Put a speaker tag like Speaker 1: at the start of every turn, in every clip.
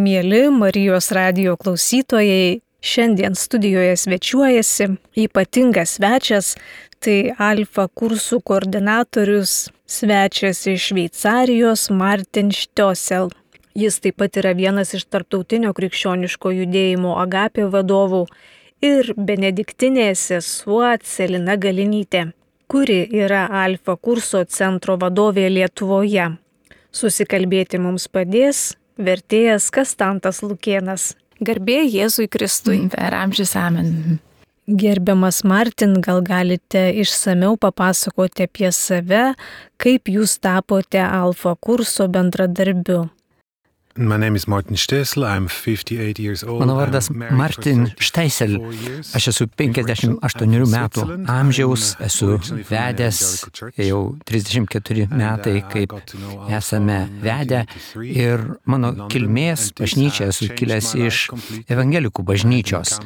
Speaker 1: Mieli Marijos radijo klausytojai, šiandien studijoje svečiuojasi ypatingas svečias, tai Alfa kursų koordinatorius, svečias iš Šveicarijos Martin Štosel. Jis taip pat yra vienas iš tarptautinio krikščioniško judėjimo Agapė vadovų ir benediktinė sesuo Celina Galinytė, kuri yra Alfa kurso centro vadovė Lietuvoje. Susikalbėti mums padės vertėjas Kastantas Lukėnas. Garbė Jėzui Kristui.
Speaker 2: Per amžius amen.
Speaker 1: Gerbiamas Martin, gal galite išsamiau papasakoti apie save, kaip jūs tapote Alfa kurso bendradarbiu?
Speaker 3: My name is Martin Štesel. I'm 58 years old.
Speaker 4: Mano vardas Martin Štesel. Aš esu 58 metų amžiaus, esu vedęs jau 34 metai, kaip esame vedę. Ir mano kilmės bažnyčia esu kilęs iš evangelikų bažnyčios.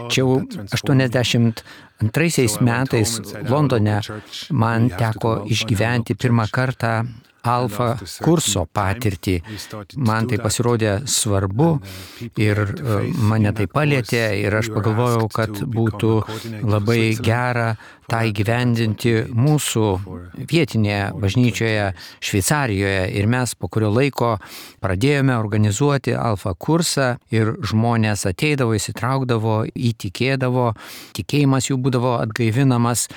Speaker 4: Čia jau 82 metais Londone man teko išgyventi pirmą kartą Alfa kurso patirtį. Man tai pasirodė svarbu ir mane tai palietė ir aš pagalvojau, kad būtų labai gera tą įgyvendinti mūsų vietinėje bažnyčioje Šveicarijoje. Ir mes po kurio laiko pradėjome organizuoti Alfa kursą ir žmonės ateidavo, įsitraukdavo, įtikėdavo, tikėjimas jų būdavo atgaivinamas.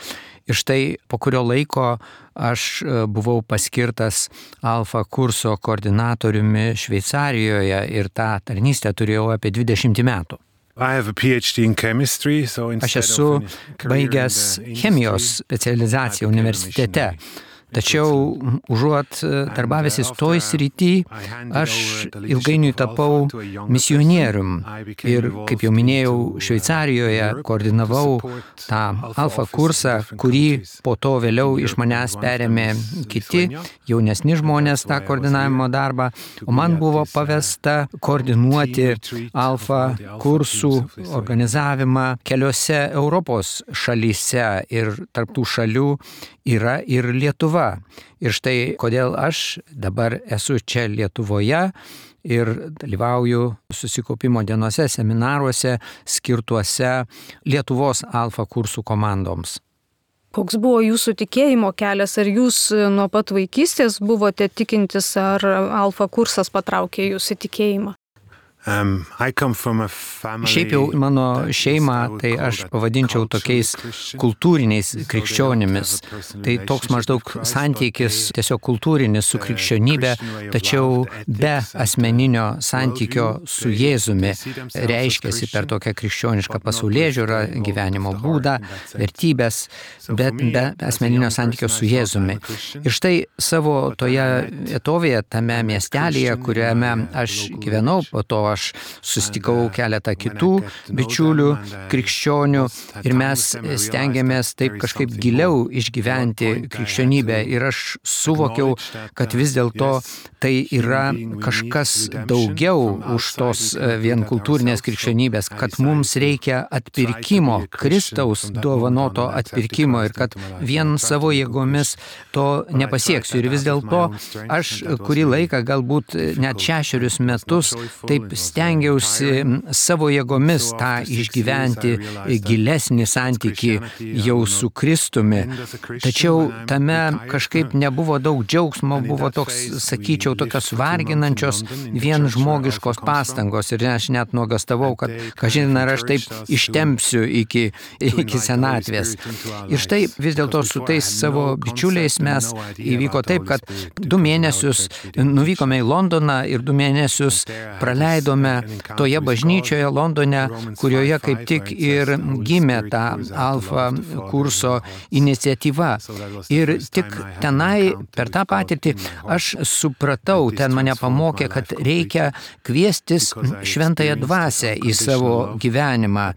Speaker 4: Ir štai po kurio laiko aš buvau paskirtas Alfa kurso koordinatoriumi Šveicarijoje ir tą tarnystę turėjau apie 20 metų. Aš esu baigęs chemijos specializaciją universitete. Tačiau užuot darbavęsis toj srity, aš ilgainiui tapau misionierium ir, kaip jau minėjau, Šveicarijoje koordinavau tą Alfa kursą, kurį po to vėliau iš manęs perėmė kiti jaunesni žmonės tą koordinavimo darbą, o man buvo pavesta koordinuoti Alfa kursų organizavimą keliose Europos šalyse ir tarp tų šalių yra ir Lietuva. Ir štai kodėl aš dabar esu čia Lietuvoje ir dalyvauju susikaupimo dienose, seminaruose skirtuose Lietuvos Alfa kursų komandoms.
Speaker 1: Koks buvo jūsų tikėjimo kelias? Ar jūs nuo pat vaikystės buvote tikintis, ar Alfa kursas patraukė jūsų tikėjimą?
Speaker 4: Šiaip jau mano šeimą, tai aš pavadinčiau tokiais kultūriniais krikščionimis. Tai toks maždaug santykis tiesiog kultūrinis su krikščionybė, tačiau be asmeninio santykio su Jėzumi reiškiasi per tokią krikščionišką pasaulėžiūrą, gyvenimo būdą, vertybės, bet be asmeninio santykio su Jėzumi. Ir štai savo toje vietovėje, tame miestelėje, kuriame aš gyvenau, po to aš susitikau keletą kitų bičiulių, krikščionių ir mes stengiamės taip kažkaip giliau išgyventi krikščionybę ir aš suvokiau, kad vis dėlto tai yra kažkas daugiau už tos vien kultūrinės krikščionybės, kad mums reikia atpirkimo, Kristaus dovanoto atpirkimo ir kad vien savo jėgomis to nepasieksiu. Ir vis dėlto aš kurį laiką, galbūt net 6 metus, taip stengiausi savo jėgomis tą išgyventi gilesnį santykį jau su Kristumi. Tačiau tame kažkaip nebuvo daug džiaugsmo, buvo toks, sakyčiau, tokios varginančios vien žmogiškos pastangos ir aš net nuogastavau, kad kažin ar aš taip ištempsiu iki senatvės. Ir štai vis dėlto su tais savo bičiuliais mes įvyko taip, kad 2 mėnesius nuvykome į Londoną ir 2 mėnesius praleidome toje bažnyčioje Londone, kurioje kaip tik ir gimė ta Alfa kurso iniciatyva. Ir tik tenai per tą patirtį aš supratau, ten mane pamokė, kad reikia kviestis šventąją dvasią į savo gyvenimą.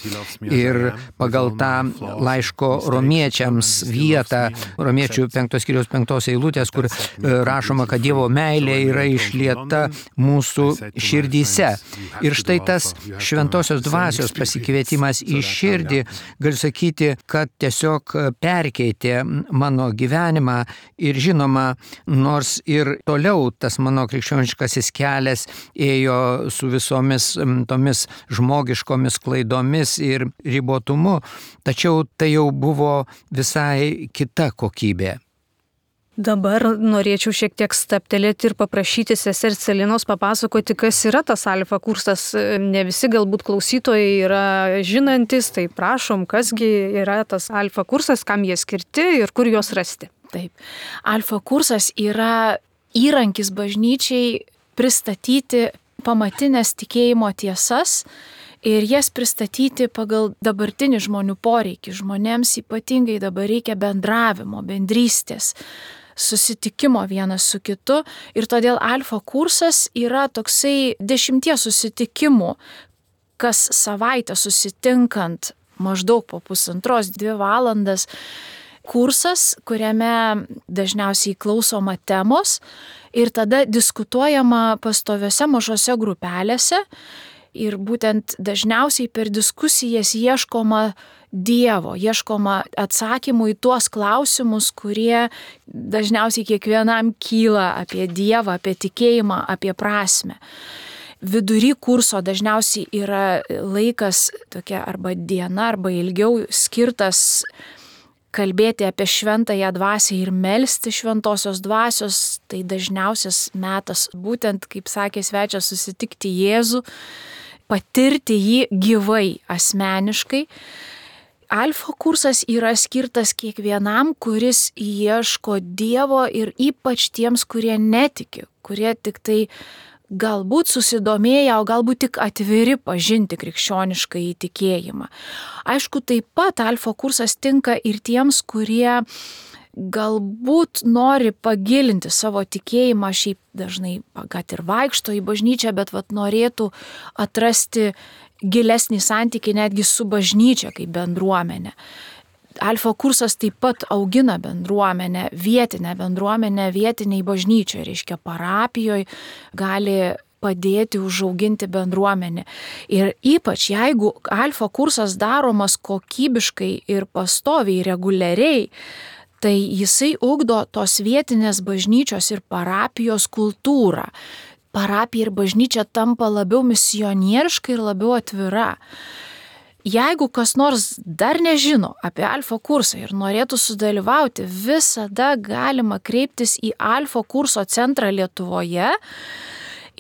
Speaker 4: Ir pagal tą laiško romiečiams vietą, romiečių 5 skyriaus 5 eilutės, kur rašoma, kad Dievo meilė yra išlieta mūsų širdyse. Ir štai tas šventosios dvasios pasikvietimas į širdį, galiu sakyti, kad tiesiog perkeitė mano gyvenimą ir žinoma, nors ir toliau tas mano krikščioniškasis kelias ėjo su visomis tomis žmogiškomis klaidomis ir ribotumu, tačiau tai jau buvo visai kita kokybė.
Speaker 1: Dabar norėčiau šiek tiek staptelėti ir paprašyti sesers Celinos papasakoti, kas yra tas alfa kursas. Ne visi galbūt klausytojai yra žinantis, tai prašom, kasgi yra tas alfa kursas, kam jie skirti ir kur juos rasti.
Speaker 2: Taip. Alfa kursas yra įrankis bažnyčiai pristatyti pamatinės tikėjimo tiesas ir jas pristatyti pagal dabartinį žmonių poreikį. Žmonėms ypatingai dabar reikia bendravimo, bendrystės, susitikimo vienas su kitu ir todėl alfa kursas yra toksai 10 susitikimų, kas savaitę susitinkant maždaug po 1,5–2 valandas kursas, kuriame dažniausiai klausoma temos ir tada diskutuojama pastoviose mažose grupelėse ir būtent dažniausiai per diskusijas ieškoma Dievo, ieškoma atsakymų į tuos klausimus, kurie dažniausiai kiekvienam kyla apie Dievą, apie tikėjimą, apie prasmę. Vidury kurso dažniausiai yra laikas tokia arba diena, arba ilgiau skirtas kalbėti apie šventąją dvasią ir melsti šventosios dvasios. Tai dažniausias metas būtent, kaip sakė svečias, susitikti Jėzų, patirti jį gyvai, asmeniškai. Alfa kursas yra skirtas kiekvienam, kuris ieško Dievo ir ypač tiems, kurie netiki, kurie tik tai galbūt susidomėję, o galbūt tik atviri pažinti krikščionišką įtikėjimą. Aišku, taip pat alfa kursas tinka ir tiems, kurie galbūt nori pagilinti savo tikėjimą, šiaip dažnai kad ir vaikšto į bažnyčią, bet norėtų atrasti gilesnį santykį netgi su bažnyčia kaip bendruomenė. Alfa kursas taip pat augina bendruomenę, vietinę bendruomenę, vietiniai bažnyčioje, reiškia parapijoje, gali padėti užauginti bendruomenę. Ir ypač jeigu alfa kursas daromas kokybiškai ir pastoviai, reguliariai, tai jisai ugdo tos vietinės bažnyčios ir parapijos kultūrą. Parapija ir bažnyčia tampa labiau misionieriška ir labiau atvira. Jeigu kas nors dar nežino apie alfa kursą ir norėtų sudalyvauti, visada galima kreiptis į alfa kurso centrą Lietuvoje,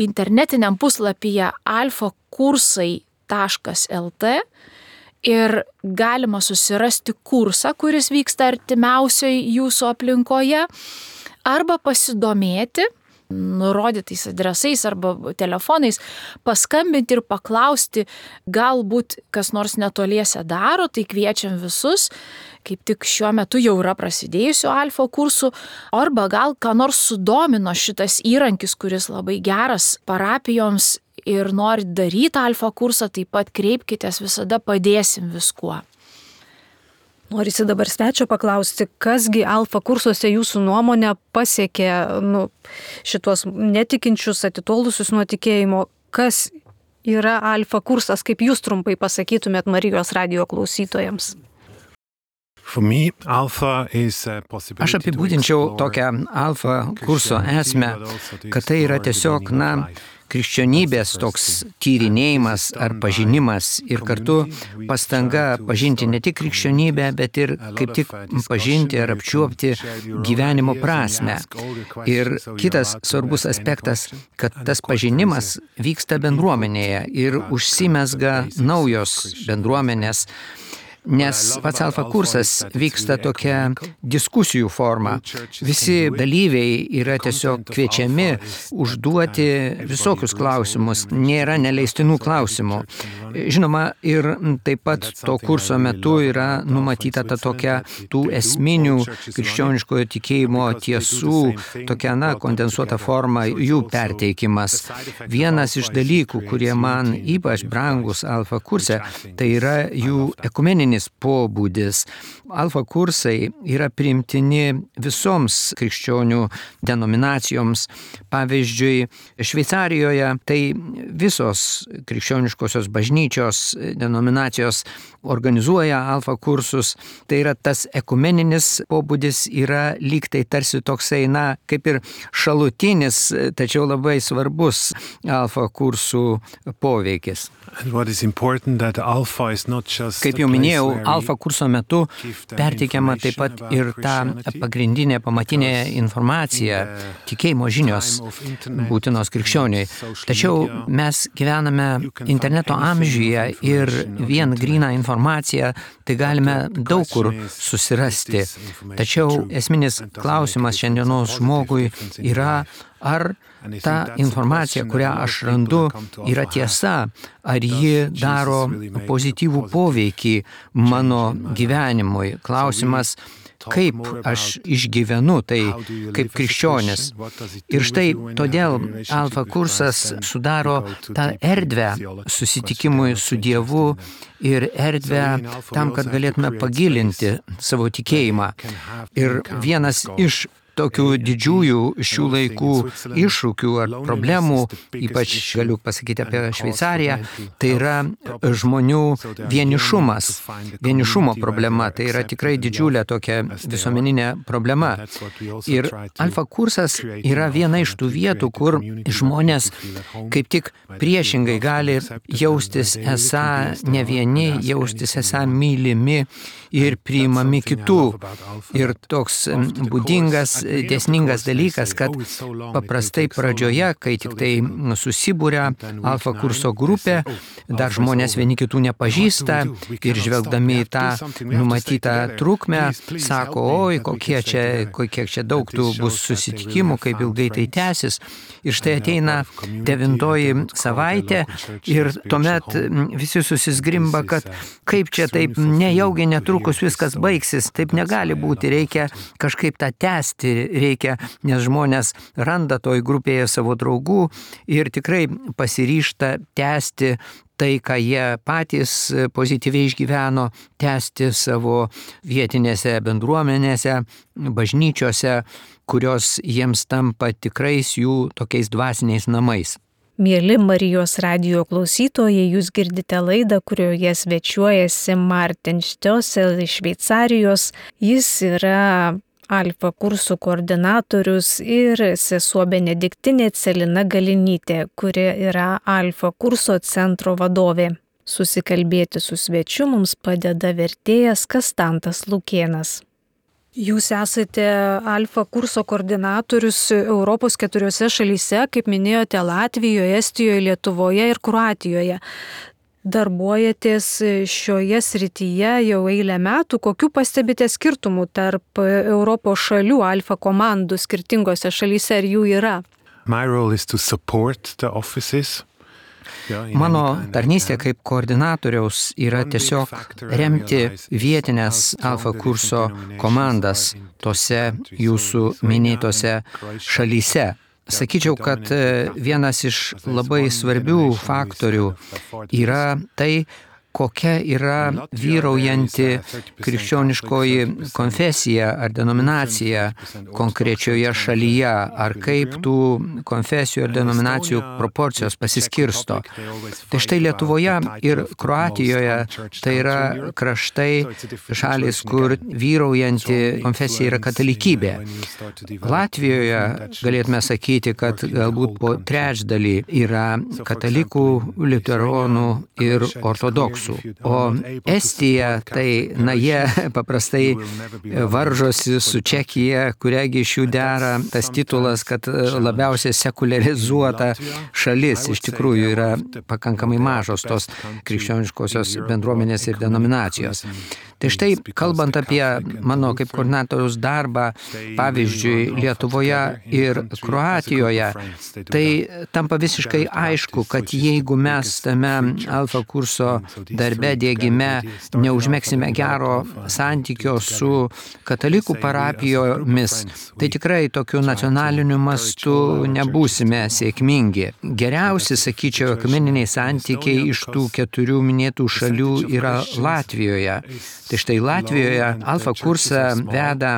Speaker 2: internetiniam puslapyje alfakursai.lt ir galima susirasti kursą, kuris vyksta artimiausioje jūsų aplinkoje, arba pasidomėti nurodytais adresais arba telefonais, paskambinti ir paklausti, galbūt kas nors netoliese daro, tai kviečiam visus, kaip tik šiuo metu jau yra prasidėjusių alfa kursų, arba gal ką nors sudomino šitas įrankis, kuris labai geras parapijoms ir norit daryti alfa kursą, taip pat kreipkitės, visada padėsim viskuo.
Speaker 1: Norisi dabar svečio paklausti, kasgi alfa kursuose jūsų nuomonė pasiekė šitos netikinčius, atitolusius nuo tikėjimo, kas yra alfa kursas, kaip jūs trumpai pasakytumėt Marijos radijo klausytojams?
Speaker 4: Aš apibūdinčiau tokią alfa kurso esmę, kad tai yra tiesiog, krikščionybės toks tyrinėjimas ar pažinimas ir kartu pastanga pažinti ne tik krikščionybę, bet ir kaip tik pažinti ar apčiuopti gyvenimo prasmę. Ir kitas svarbus aspektas, kad tas pažinimas vyksta bendruomenėje ir užsimezga naujos bendruomenės. Nes pats alfa kursas vyksta tokia diskusijų forma. Visi dalyviai yra tiesiog kviečiami užduoti visokius klausimus, nėra neleistinų klausimų. Žinoma, ir taip pat to kurso metu yra numatyta ta tokia tų esminių krikščioniškojo tikėjimo tiesų, tokia, kondensuota forma, jų perteikimas. Vienas iš dalykų, kurie man ypač brangus Alfa kurse, tai yra jų ekumeninis pobūdis. Alfa kursai yra priimtini visoms krikščionių denominacijoms. Pavyzdžiui, Šveicarijoje tai visos krikščioniškosios bažnyčios denominacijos organizuoja Alfa kursus. Tai yra tas ekumeninis pobūdis yra lyg tai tarsi toksai, kaip ir šalutinis, tačiau labai svarbus Alfa kursų poveikis. Kaip jau minėjau, Alfa kurso metu perteikiama taip pat ir ta pagrindinė pamatinė informacija, tikėjimo žinios būtinos krikščioniui. Tačiau mes gyvename interneto amžiuje ir vien gryną informaciją tai galime daug kur susirasti. Tačiau esminis klausimas šiandienos žmogui yra, ar ta informacija, kurią aš randu, yra tiesa, ar ji daro pozityvų poveikį mano gyvenimui. Klausimas, kaip aš išgyvenu tai kaip krikščionis. Ir štai todėl Alfa kursas sudaro tą erdvę susitikimui su Dievu ir erdvę tam, kad galėtume pagilinti savo tikėjimą. Ir vienas iš tokių didžiųjų šių laikų iššūkių ar problemų, ypač galiu pasakyti apie Šveicariją, tai yra žmonių vienišumas. Vienišumo problema, tai yra tikrai didžiulė tokia visuomeninė problema. Ir Alfa kursas yra viena iš tų vietų, kur žmonės kaip tik priešingai gali jaustis esą ne vieni, jaustis esą mylimi ir priimami kitų. Ir toks būdingas, dėsningas dalykas, kad paprastai pradžioje, kai tik tai susibūria Alfa kurso grupė, dar žmonės vieni kitų nepažįsta ir žvelgdami į tą numatytą trukmę, sako, oi, kiek čia daug tų bus susitikimų, kaip ilgai tai tęsis. Ir štai ateina 9 savaitė ir tuomet visi susizgrimba, kad kaip čia taip nejaugi netrukus viskas baigsis, taip negali būti, reikia kažkaip tą tęsti, reikia, nes žmonės randa toj grupėje savo draugų ir tikrai pasiryžta tęsti tai, ką jie patys pozityviai išgyveno, tęsti savo vietinėse bendruomenėse, bažnyčiose, kurios jiems tampa tikrais jų tokiais dvasiniais namais.
Speaker 1: Mieli Marijos radijo klausytojai, jūs girdite laidą, kurioje svečiuojasi Martin Štiosel iš Šveicarijos. Jis yra Alfa kursų koordinatorius ir sesuo Benediktinė Celina Galinytė, kuri yra Alfa kurso centro vadovė. Susikalbėti su svečiu mums padeda vertėjas Kastantas Lukėnas. Jūs esate Alfa kurso koordinatorius Europos 4 šalyse, kaip minėjote, Latvijoje, Estijoje, Lietuvoje ir Kroatijoje. Darbuojatės šioje srityje jau eilę metų. Kokių pastebite skirtumų tarp Europos šalių Alfa komandų skirtingose šalyse, ar jų yra?
Speaker 4: Mano tarnystė kaip koordinatoriaus yra tiesiog remti vietinės Alfa kurso komandas tose jūsų minėtose šalyse. Sakyčiau, kad vienas iš labai svarbių faktorių yra tai, kokia yra vyraujanti krikščioniškoji konfesija ar denominacija konkrečioje šalyje, ar kaip tų konfesijų ir denominacijų proporcijos pasiskirsto. Tai štai Lietuvoje ir Kroatijoje tai yra kraštai, šalys, kur vyraujanti konfesija yra katalikybė. Latvijoje galėtume sakyti, kad galbūt po trečdalį yra katalikų, liuteronų ir ortodoksų. O Estija, tai, jie paprastai varžosi su Čekija, kuriagi iš jų dera tas titulas, kad labiausiai sekuliarizuota šalis. Iš tikrųjų yra pakankamai mažos tos krikščioniškosios bendruomenės ir denominacijos. Tai štai, kalbant apie mano kaip koordinatoriaus darbą, pavyzdžiui, Lietuvoje ir Kroatijoje, tai tampa visiškai aišku, kad jeigu mes tame alfa kurso darbe diegime neužmegsime gero santykio su katalikų parapijomis, tai tikrai tokiu nacionaliniu mastu nebūsime sėkmingi. Geriausi, sakyčiau, ekumeniniai santykiai iš tų 4 minėtų šalių yra Latvijoje. Tai štai Latvijoje alfa kursą veda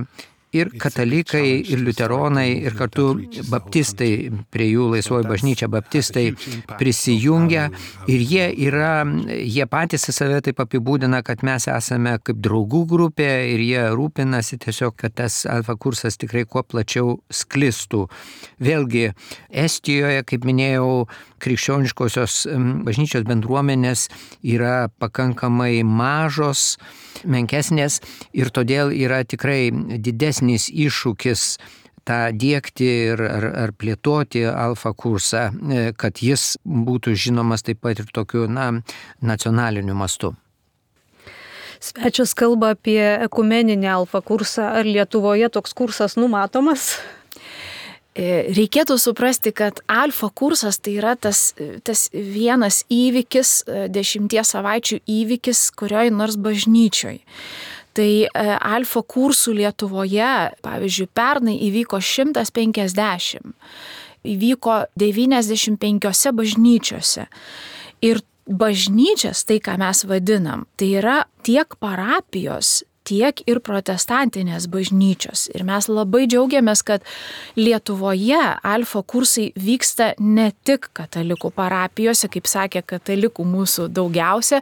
Speaker 4: ir katalikai, ir liuteronai, ir kartu baptistai, prie jų laisvoji bažnyčia baptistai prisijungia ir jie patys save taip apibūdina, kad mes esame kaip draugų grupė ir jie rūpinasi tiesiog, kad tas alfa kursas tikrai kuo plačiau sklistų. Vėlgi, Estijoje, kaip minėjau, krikščioniškosios bažnyčios bendruomenės yra pakankamai mažos, menkesnės ir todėl yra tikrai didesnis iššūkis tą diegti ar plėtoti alfa kursą, kad jis būtų žinomas taip pat ir tokiu nacionaliniu mastu.
Speaker 1: Svečias kalba apie ekumeninį alfa kursą. Ar Lietuvoje toks kursas numatomas?
Speaker 2: Reikėtų suprasti, kad alfa kursas tai yra tas vienas įvykis, 10 savaičių įvykis kurioj nors bažnyčioj. Tai alfa kursų Lietuvoje, pavyzdžiui, pernai įvyko 150, įvyko 95 bažnyčiose. Ir bažnyčias, tai ką mes vadinam, tai yra tiek parapijos, tiek ir protestantinės bažnyčios. Ir mes labai džiaugiamės, kad Lietuvoje alfa kursai vyksta ne tik katalikų parapijose, kaip sakė, katalikų mūsų daugiausia,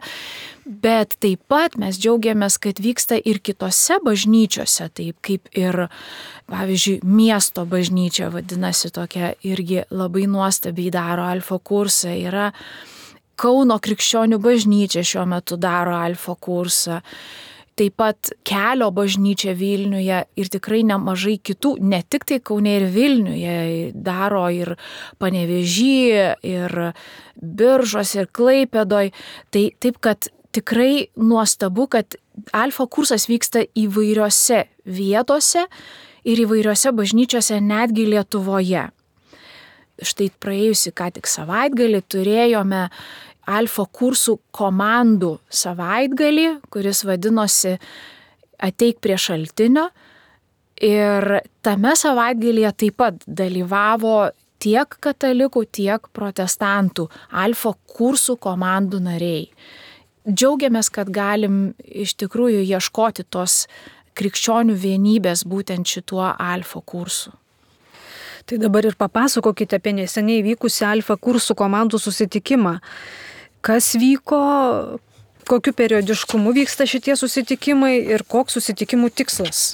Speaker 2: bet taip pat mes džiaugiamės, kad vyksta ir kitose bažnyčiose, taip kaip ir, pavyzdžiui, miesto bažnyčia vadinasi tokia irgi labai nuostabiai daro alfa kursą. Yra Kauno krikščionių bažnyčia šiuo metu daro alfa kursą. Taip pat Kelio bažnyčia Vilniuje ir tikrai nemažai kitų, ne tik tai Kaune ir Vilniuje, daro ir Panevėžy, ir Biržos, ir Klaipėdoj. Tai taip, kad tikrai nuostabu, kad alfa kursas vyksta įvairiose vietose ir įvairiose bažnyčiose, netgi Lietuvoje. Štai praėjusi ką tik savaitgalį turėjome alfa kursų komandų savaitgalį, kuris vadinosi Ateik prie šaltinio. Ir tame savaitgalyje taip pat dalyvavo tiek katalikų, tiek protestantų alfa kursų komandų nariai. Džiaugiamės, kad galim iš tikrųjų ieškoti tos krikščionių vienybės būtent šituo alfa kursu.
Speaker 1: Tai dabar ir papasakokite apie neseniai vykusią alfa kursų komandų susitikimą. Kas vyko, kokiu periodiškumu vyksta šitie susitikimai ir koks susitikimų tikslas?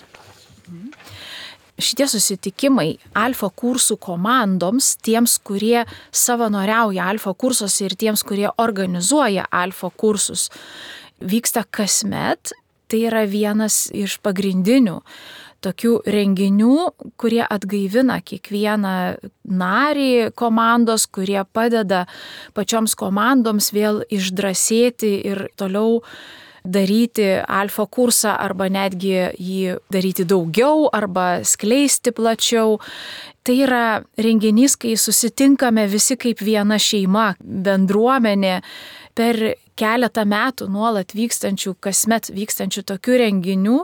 Speaker 2: Šitie susitikimai alfa kursų komandoms, tiems, kurie savanoriauja alfa kursuose ir tiems, kurie organizuoja alfa kursus, vyksta kasmet. Tai yra vienas iš pagrindinių tokių renginių, kurie atgaivina kiekvieną narį komandos, kurie padeda pačioms komandoms vėl išdrąsėti ir toliau daryti alfa kursą arba netgi jį daryti daugiau arba skleisti plačiau. Tai yra renginys, kai susitinkame visi kaip viena šeima, bendruomenė. Per keletą metų nuolat kasmet vykstančių tokių renginių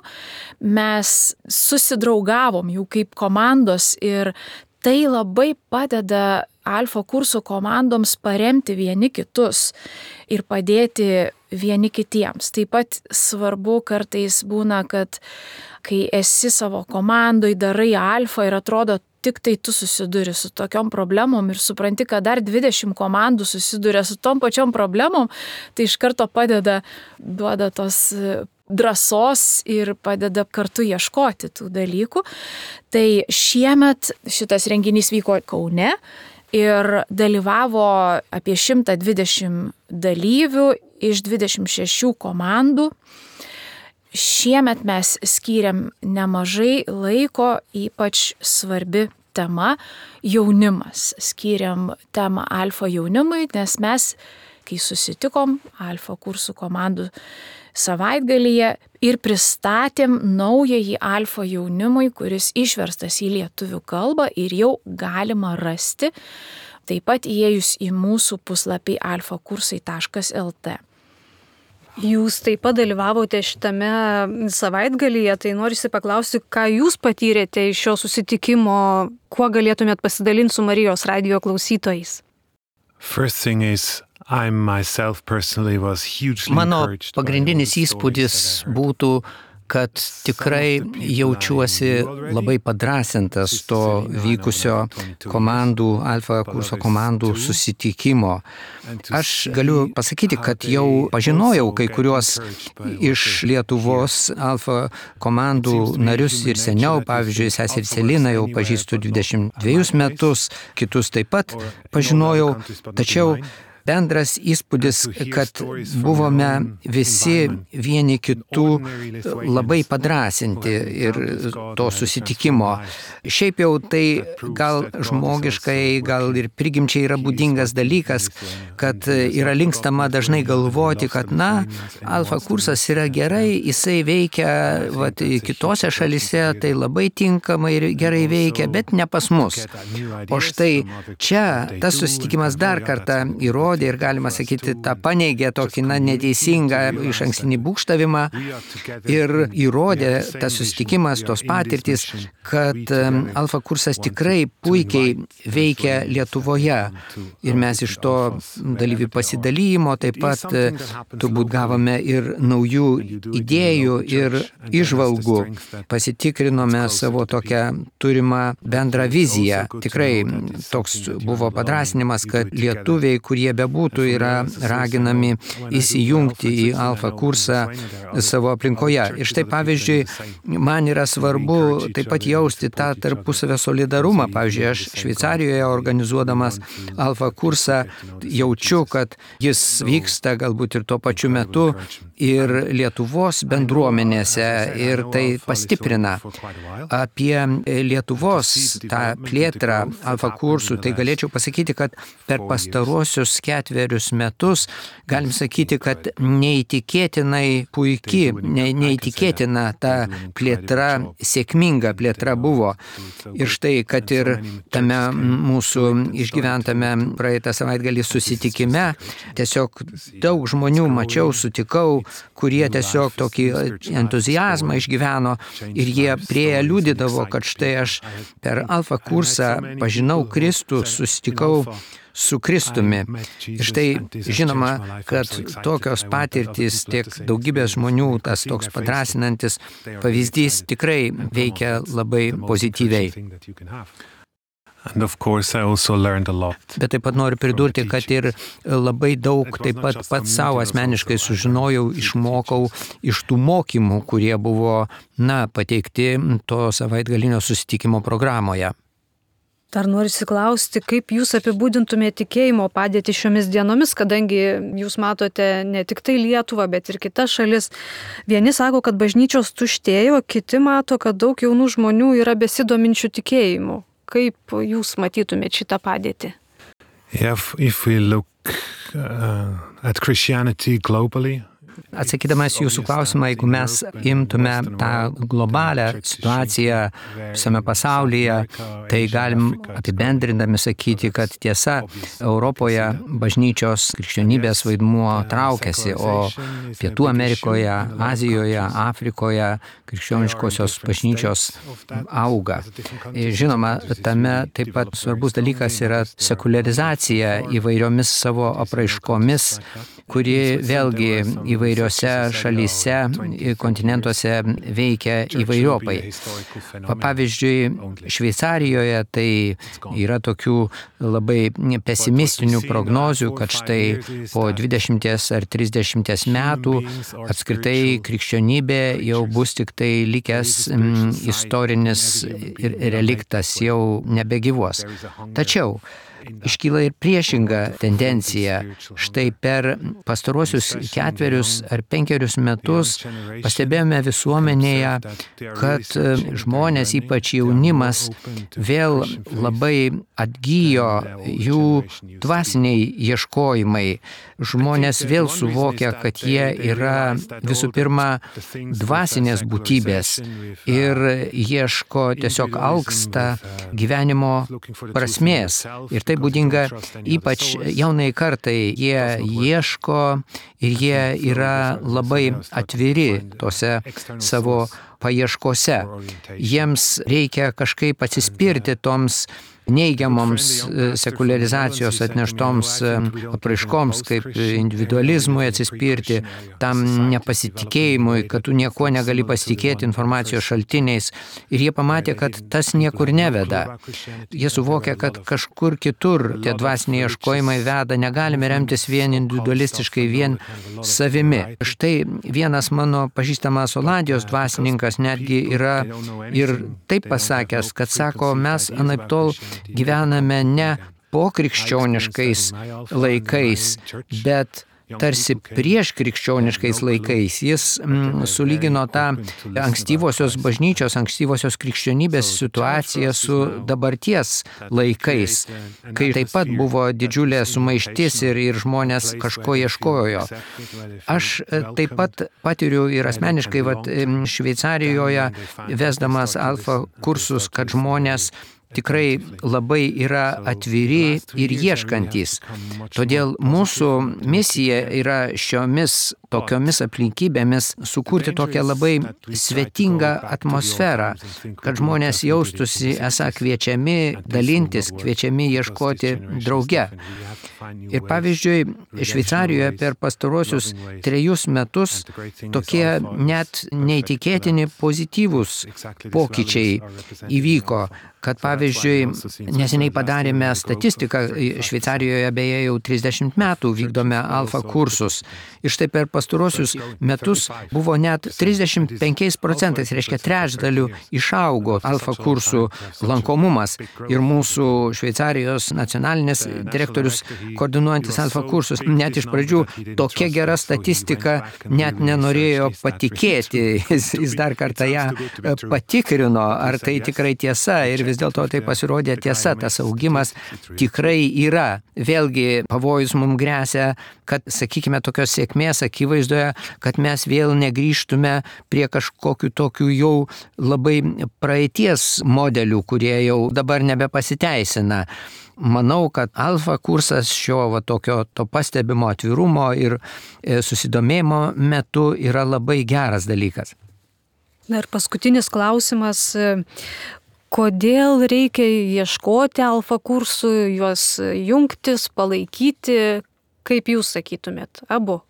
Speaker 2: mes susidraugavom jau kaip komandos ir tai labai padeda alfa kursų komandoms paremti vieni kitus ir padėti vieni kitiems. Taip pat svarbu kartais būna, kad kai esi savo komandoj, darai alfa ir atrodo, tik tai tu susiduri su tokiom problemom ir supranti, kad dar 20 komandų susiduria su tom pačiom problemom, tai iš karto duoda tos drąsos ir padeda kartu ieškoti tų dalykų. Tai šiemet šitas renginys vyko Kaune ir dalyvavo apie 120 dalyvių iš 26 komandų. Šiemet mes skyrėm nemažai laiko, ypač svarbi tema jaunimas. Skyrėm temą alfa jaunimui, nes mes kai susitikom Alfa kursų komandų savaitgalyje ir pristatėm naująjį Alfa jaunimui, kuris išverstas į lietuvių kalbą ir jau galima rasti, taip pat įėjus į mūsų puslapį alfakursai.lt.
Speaker 1: Jūs taip pat dalyvavote šitame savaitgalyje, tai norisi paklausti, ką jūs patyrėte iš šio susitikimo, kuo galėtumėt pasidalinti su Marijos radijo klausytojais?
Speaker 4: Mano pagrindinis įspūdis būtų, kad tikrai jaučiuosi labai padrąsintas to vykusio Alfa kurso komandų susitikimo. Aš galiu pasakyti, kad jau pažinojau kai kuriuos iš Lietuvos Alfa komandų narius ir seniau, pavyzdžiui, seserį Celiną jau pažįstu 22 metus, kitus taip pat pažinojau, tačiau bendras įspūdis, kad buvome visi vieni kitų labai padrąsinti ir to susitikimo. Šiaip jau tai gal žmogiškai, gal ir prigimčiai yra būdingas dalykas, kad yra linkstama dažnai galvoti, kad Alfa kursas yra gerai, jisai veikia kitose šalise, tai labai tinkamai ir gerai veikia, bet ne pas mus. O štai čia tas susitikimas dar kartą įrodė ir galima sakyti, tą paneigė tokį neteisingą išankstinį būgštavimą ir įrodė tas susitikimas, tos patirtys, kad Alfa kursas tikrai puikiai veikia Lietuvoje. Ir mes iš to dalyvių pasidalymo taip pat turbūt gavome ir naujų idėjų ir įžvalgų. Pasitikrinome savo tokią turimą bendrą viziją. Tikrai toks buvo padrąsinimas, kad lietuviai, kurie bebūtų, yra raginami įsijungti į Alfa kursą savo aplinkoje. Ir štai pavyzdžiui, man yra svarbu taip pat jausti tą tarpusavio solidarumą. Pavyzdžiui, aš Šveicarijoje organizuodamas Alfa kursą jaučiu, kad jis vyksta galbūt ir tuo pačiu metu ir Lietuvos bendruomenėse ir tai pastiprina. Apie Lietuvos tą plėtrą Alfa kursų, tai galėčiau pasakyti, kad per pastaruosius 4 metus galim sakyti, kad neįtikėtinai puiki, neįtikėtina ta plėtra, sėkminga plėtra buvo. Ir štai, kad ir tame mūsų išgyventame praeitą savaitgalį susitikime, tiesiog daug žmonių mačiau, sutikau, kurie tiesiog tokį entuziazmą išgyveno ir jie prieję liudydavo, kad štai aš per Alfa kursą pažinau Kristų, susitikau su Kristumi. Ir štai žinoma, kad tokios patirtys tiek daugybės žmonių, tas toks padrąsinantis pavyzdys tikrai veikia labai pozityviai. Bet taip pat noriu pridurti, kad ir labai daug taip pat pats savo asmeniškai sužinojau, išmokau iš tų mokymų, kurie buvo, pateikti to savaitgalinio susitikimo programoje.
Speaker 1: Dar noriu klausti, kaip jūs apibūdintumėte tikėjimo padėtį šiomis dienomis, kadangi jūs matote ne tik tai Lietuvą, bet ir kitas šalis. Vieni sako, kad bažnyčios tuštėjo, kiti mato, kad daug jaunų žmonių yra besidominčių tikėjimu. Kaip jūs matytumėte šitą padėtį?
Speaker 3: If we look at Christianity globally,
Speaker 4: Atsakydamas jūsų klausimą, jeigu mes imtume tą globalią situaciją visame pasaulyje, tai galim apibendrindami sakyti, kad tiesa, Europoje bažnyčios krikščionybės vaidmuo traukiasi, o Pietų Amerikoje, Azijoje, Afrikoje krikščioniškosios bažnyčios auga. Žinoma, tame taip pat svarbus dalykas yra sekuliarizacija įvairiomis savo apraiškomis, kuri vėlgi įvairiose šalyse, kontinentuose veikia įvairiopai. Pavyzdžiui, Šveicarijoje tai yra tokių labai pesimistinių prognozių, kad štai po 20 ar 30 metų apskritai krikščionybė jau bus tik tai likęs istorinis reliktas, jau nebegyvuos. Tačiau iškyla ir priešinga tendencija. Štai per pastaruosius 4 ar 5 metus pastebėjome visuomenėje, kad žmonės, ypač jaunimas, vėl labai atgyjo jų dvasiniai ieškojimai. Žmonės vėl suvokia, kad jie yra visų pirma dvasinės būtybės ir ieško, tiesiog alksta gyvenimo prasmės. Ir tai būdinga ypač jaunai kartai. Jie ieško ir jie yra labai atviri tose savo paieškose. Jiems reikia kažkaip atsispirti toms neigiamoms sekuliarizacijos atneštoms apraiškoms, kaip individualizmui atsispirti, tam nepasitikėjimui, kad tu nieko negali pasitikėti informacijos šaltiniais. Ir jie pamatė, kad tas niekur neveda. Jie suvokia, kad kažkur kitur tie dvasiniai ieškojimai veda, negalime remtis vien individualistiškai, vien savimi. Štai vienas mano pažįstamas Olandijos dvasininkas netgi yra ir taip pasakęs, kad sako, mes anaiptol gyvename ne pokrikščioniškais laikais, bet tarsi prieš krikščioniškais laikais. Jis sulygino tą ankstyvosios bažnyčios, ankstyvosios krikščionybės situaciją su dabarties laikais, kai taip pat buvo didžiulė sumaištis ir žmonės kažko ieškojo. Aš taip pat patiriu ir asmeniškai Šveicarijoje, vesdamas alfa kursus, kad žmonės tikrai labai yra atviri ir ieškantys. Todėl mūsų misija yra šiomis tokiomis aplinkybėmis sukurti tokią labai svetingą atmosferą, kad žmonės jaustųsi esą kviečiami dalintis, kviečiami ieškoti drauge. Ir pavyzdžiui, Šveicarijoje per pastarosius 3 metus tokie net neįtikėtini pozityvūs pokyčiai įvyko, kad pavyzdžiui, neseniai padarėme statistiką, Šveicarijoje beje jau 30 metų vykdome alfa kursus. Ir štai per pastarosius metus buvo net 35%, reiškia trečdaliu išaugo alfa kursų lankomumas. Ir mūsų Šveicarijos nacionalinis direktorius, koordinuojantis alfa kursus, net iš pradžių tokia gera statistika net nenorėjo patikėti. Jis dar kartą ją patikrino, ar tai tikrai tiesa, ir vis dėlto tai pasirodė tiesa, tas augimas tikrai yra. Vėlgi pavojus mums gresia, kad, sakykime, tokios sėkmės akivaizdoje, kad mes vėl negrįžtume prie kažkokių tokių jau labai praeities modelių, kurie jau dabar nebepasiteisina. Manau, kad alfa kursas šio tokio to pastebimo atvirumo ir susidomėjimo metu yra labai geras dalykas.
Speaker 1: Na ir paskutinis klausimas. Kodėl reikia ieškoti alfa kursų, juos jungtis, palaikyti, kaip jūs sakytumėt, abu?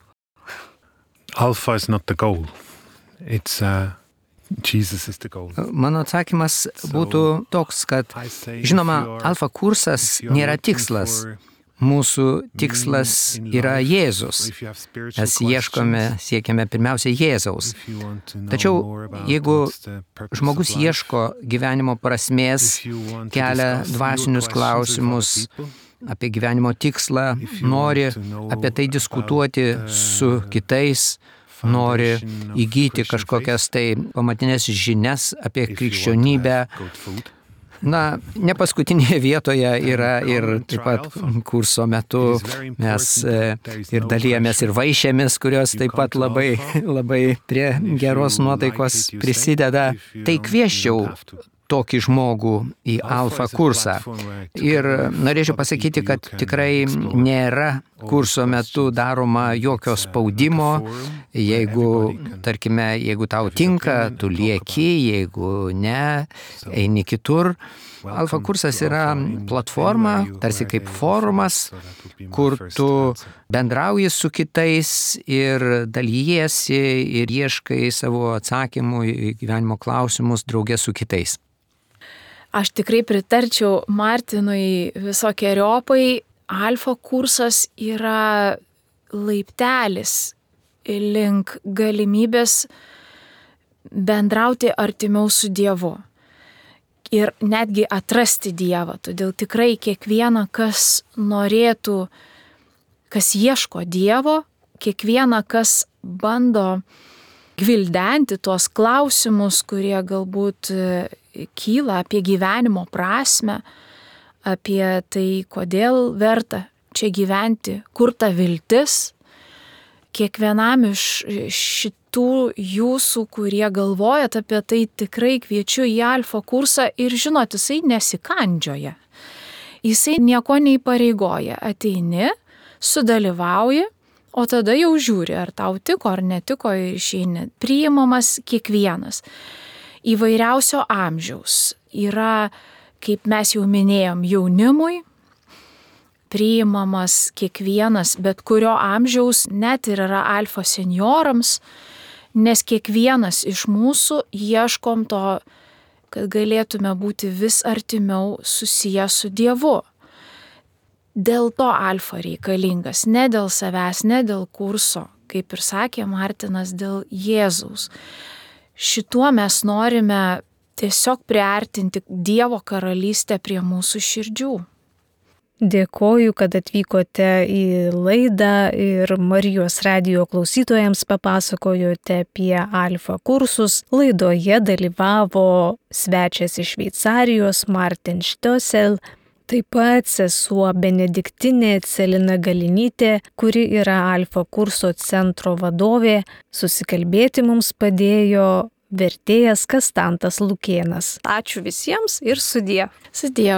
Speaker 3: Alpha is not the goal. It's Jesus is the goal.
Speaker 4: Mano atsakymas būtų toks, kad žinoma, alfa kursas nėra tikslas. Mūsų tikslas yra Jėzus. Mes siekiame pirmiausia Jėzaus. Tačiau jeigu žmogus ieško gyvenimo prasmės, kelia dvasinius klausimus apie gyvenimo tikslą, nori apie tai diskutuoti su kitais, nori įgyti kažkokias tai pamatinės žinias apie krikščionybę, na, ne paskutinėje vietoje yra ir taip pat kurso metu mes ir dalijamės ir vaišėmis, kurios taip pat labai prie geros nuotaikos prisideda. Tai kviesčiau tokį žmogų į alfa kursą. Ir norėčiau pasakyti, kad tikrai nėra kurso metu daroma jokio spaudimo. Jeigu, tarkime, jeigu tau tinka, tu lieki, jeigu ne, eini kitur. Alfa kursas yra platforma, tarsi kaip forumas, kur tu bendrauji su kitais ir dalyjiesi ir ieškai savo atsakymų į gyvenimo klausimus draugė su kitais.
Speaker 2: Aš tikrai pritarčiau Martinui visokiojopai. Alfa kursas yra laiptelis link galimybės bendrauti artimiau su Dievu. ir netgi atrasti Dievą. Todėl tikrai kiekviena, kas norėtų, kas ieško Dievo, kiekviena, kas bando gvildenti tuos klausimus, kurie galbūt kyla apie gyvenimo prasme, apie tai, kodėl verta čia gyventi, kur ta viltis. Kiekvienam iš šitų jūsų, kurie galvojat apie tai, tikrai kviečiu į Alfa kursą ir žinot, jisai nesikandžioja. Jisai nieko neįpareigoja. Ateini, sudalyvauji, o tada jau žiūri, ar tau tiko ar netiko ir išeini. Priimamas kiekvienas. Įvairiausio amžiaus. Yra, kaip mes jau minėjom, jaunimui, priimamas kiekvienas, bet kurio amžiaus, net ir yra Alfa seniorams, nes kiekvienas iš mūsų ieškom to, kad galėtume būti vis artimiau susiję su Dievu. Dėl to Alfa reikalingas, ne dėl savęs, ne dėl kurso, kaip ir sakė Martinas, dėl Jėzaus. Šituo mes norime tiesiog priartinti Dievo karalystę prie mūsų širdžių.
Speaker 1: Dėkoju, kad atvykote į laidą ir Marijos radijo klausytojams papasakojote apie Alfa kursus. Laidoje dalyvavo svečias iš Šveicarijos Martin Štiosel, taip pat sesuo benediktinė Celina Galinytė, kuri yra Alfa kurso centro vadovė. Susikalbėti mums padėjo vertėjas Kastantas Lukėnas. Ačiū visiems ir sudie.
Speaker 2: Sudie.